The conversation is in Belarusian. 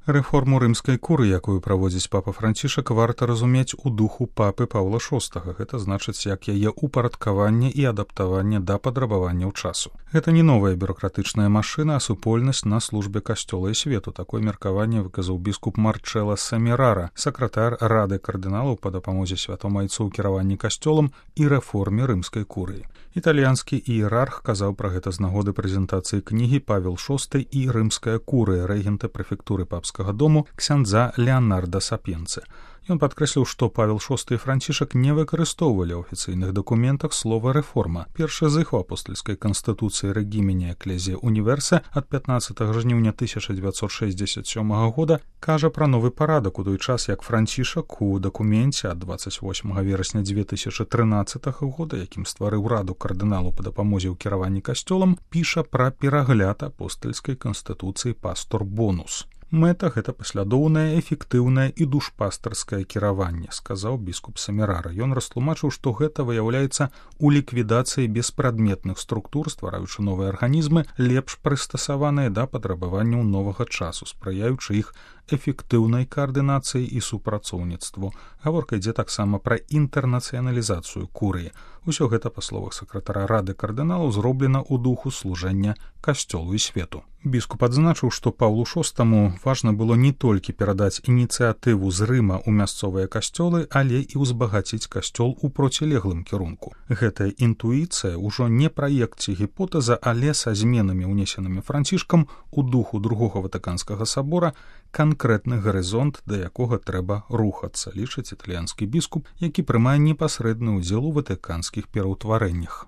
Рэформу рымскай куры, якую праводзіць папа Францішак, варта разумець у духу папы Паўла VI. Гэта значыць, як яе упарадкаванне і адаптаванне да падрабаванняў часу. Гэта не новая бюрократычная машына, а супольнасць на службе касцёла і свету. Такое меркаванне выказаў біскуп Марчэла Самерара, сакратар Рады кардыналаў па дапамозе святому айцу ў кіраванні касцёлам і рэформе рымскай курыі. Італьянскі іерарх казаў пра гэта з нагоды прэзентацыі кнігі «Павел VI і рымская курыя» рэгента прэфектуры папскага дому ксяндза Леонарда Сапенцы. Ён падкрэсліў, што Павел VI і Францішак не выкарыстоўвалі ў афіцыйных дакументах слова «рэформа». Першы з іх у апостальскай канстытуцыі Рэгіміне Экклезія Універса ад 15 жніўня 1967 года кажа пра новы парадак, у той час як Францішак у дакуменце ад 28 верасня 2013 года, якім стварыў Раду кардыналу па дапамозе ў кіраванні касцёлам, піша пра перагляд апостальскай канстытуцыі «Пастор Бонус». Мэта — гэта паслядоўнае, эфектыўнае і душпастарскае кіраванне, сказаў біскуп Самерара. Ён растлумачыў, што гэта выяўляецца у ліквідацыі беспрадметных структур, ствараючы новыя арганізмы, лепш прыстасаваныя да патрабаванняў новага часу, спрыяючы іх эфектыўнай каардынацыі і супрацоўніцтву. Гаворка ідзе таксама пра інтэрнацыяналізацыю курыі. Усё гэта, па словах сакратара Рады кардыналаў, зроблена ў духу служэння касцёлу і свету. Біскуп адзначыў, што Паўлу VI важна было не толькі перадаць ініцыятыву з Рыма ў мясцовыя касцёлы, але і ўзбагаціць касцёл у процілеглым кірунку. Гэтая інтуіцыя ўжо не праект ці гіпотэза, але са зменамі, унесенымі Францішкам у духу Другога Ватыканскага сабора, канкрэтны гарызонт, да якога трэба рухацца, лічыць італьянскі біскуп, які прымае непасрэдны ўдзел у ватыканскіх пераўтварэннях.